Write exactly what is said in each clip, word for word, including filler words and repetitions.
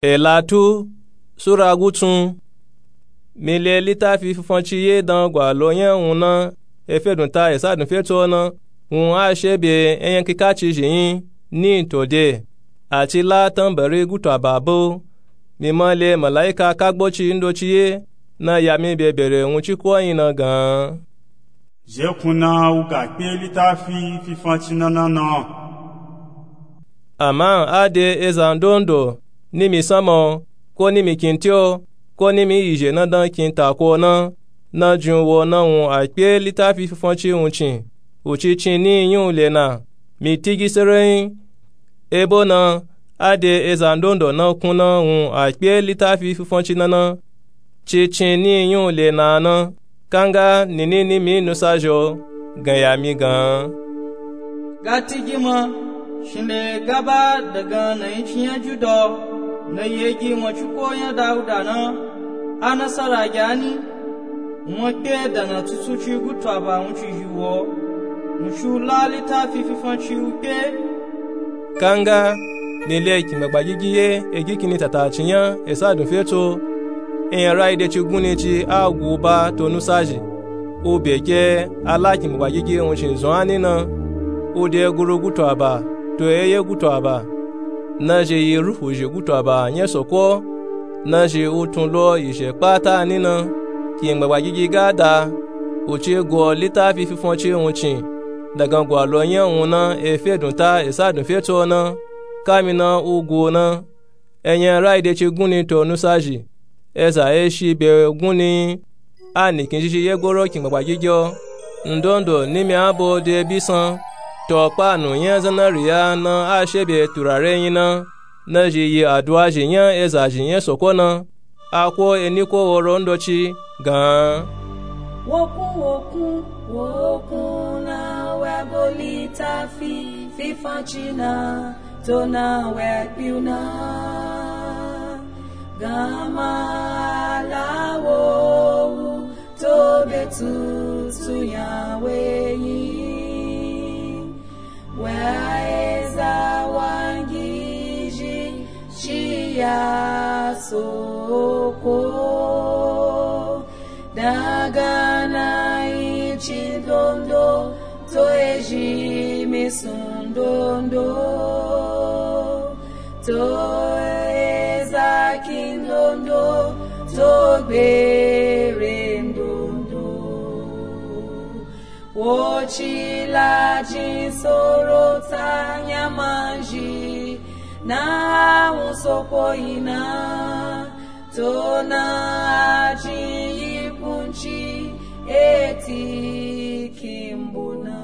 Elatu sura gutsun. Mi le litafi fufanci ye dan gwalo nya wun na, e fe dun ta esa dun fe tso na, wun a she be enyakikaci zhi nyi ni to de, a ci la tanbari gutu aba bo. Mi ma le malaika kagboci ndoci ye na ya mi bebere wun ci ko nyi na gan. Zhe kun na u ga kpe litafi fifanci nana na. Ama a de eza ndondo ni mi sanma o, ko ni mi kinti o, ko ni mi izhe na dan kinta ko na, na jun wo na wun a kpe litafi fifanci wun cin, u ci cin ni nyi u le na, mi tigi sere nyi. Ebo na, a de eza ndondo na kun na wun a kpe litafi fifanci nana, ci cin ni nyi u le na na. Kanga nini ni mi nusa zho, gan ya mi gan. Ga tigi ma, shin le gaba dagan na yi cinya Juda, na yegi ma cuko nya Dauda na, a nasara gya ni, wun kpe dana tutuci gutu aba wun ci zhi wo, wun cu la litafi fifanci u kpe. Kanga ni le kin gbagbagigi ye egi kini tata cinya esa dun fe tso. Enyara ide ci gun ni ci a gu ba to nusa zhi. U be ke a la kin gbagbagigi wun cin zun a ni na. U de guru gutu aba, to eye gutu aba. Na zhi yi ruhu zhi gutu aba nya soko. Na zhi u tun lo yi zhe kpata ni na. Kin gbagbagigi ga da, u ci go litafi fifanci wun cin, dagan gwalo nya wun na e fe dun ta esa dun fe tso na. Kami na u gu na, enyara ide ci gun ni to nusa zhi, eza e shi be gun ni, a ni kin zhi zhi ye goro kin gbagbagigi o. Ndondo ni mi a bo de bisan, to kpa nu nya zanariya na a she be turare nyi na, na zhi yi aduwa zhi nya eza zhi nya soko na. A ko e ni ko woro ndoci gan. Wokun, wokun, wokun na wa go litafi fifanci na, to na wa kpiu na. Gama lawo to be tutu ya we yi. Wa eza wangiji ciya soko. Daga na yi ci ndondo, to ezi mi sun ndondo. To eza kin ndondo, to gbere ndondo. Wo ci la jin soro ta nya ma zhi na wun soko yi na, to na a jin yi kunci e ti kin bo na.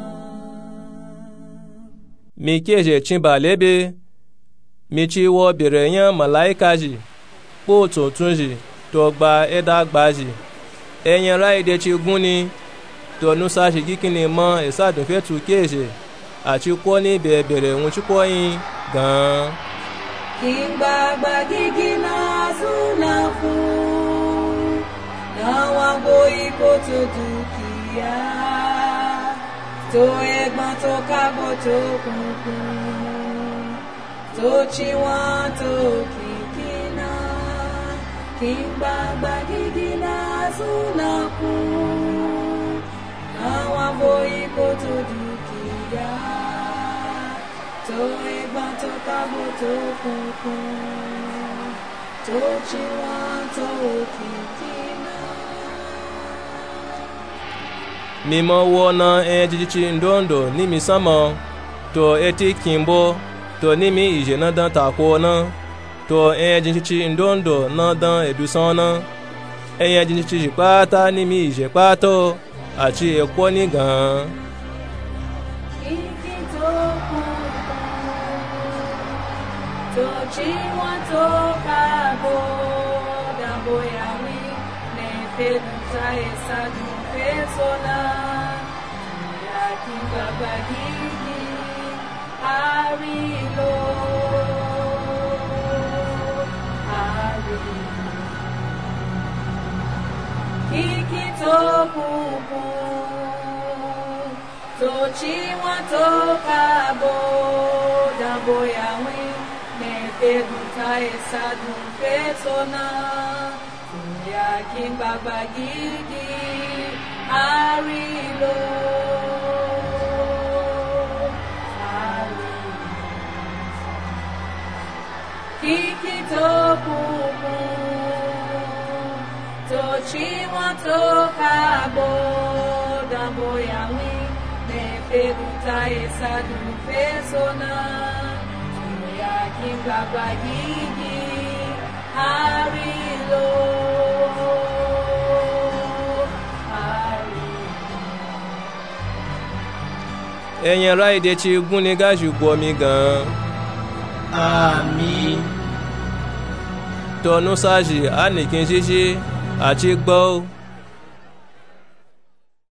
Mi ke zhe cin ba le be, mi ci wo bere nya malaika zhi, kpo tsontsun zhi, to gba eda gba zhi. Enyara ide ci gun ni, to nusa zhi gi kini ma esa dun fe tsu ke zhe, a ci ko ni be bere wun ci ko nyi gan. Kin gbagbagigi na zun na kun, na wa go yi ko to dukiya, to egban to kagbo to kunkun. To ci wan to kikina, kin gbagbagigi na zun na kun. Na wa go yi ko to dukiya, to egban to kagbo to kunkun. To ci wan to kikina. Mi ma wo na enyajinjici ndondo ni mi sanma, to e ti kin bo, to ni mi izhe na dan tako na, to enyajinjici ndondo na dan edu san na. Enyajinjici zhi kpata ni mi izhe kpata o, a ci e ko ni gan. Kiki to kunkun, to ci wan to kagbo, dan bo ya wi, ne fe dun ta esa dun fe tso na. Ya kin gbagbagigi, a ri lo, a ri lo. Kiki to kunkun, to ci wan to kagbo, dan bo ya wi, ne fe dun Taesa dun fetona, tuya kin gbagba gigi, arilo, arilo. Kiki to kuku, to chiwa to kabo, dambo ya wi, ne fe duta esa dun fetona, tuya kin gbagba gigi, arilo, arilo. Enyi ra ide ci gun ni ga zhi gwo mi gan. Ami. To nusa zhi a nikin zhi zhi a ci gba o.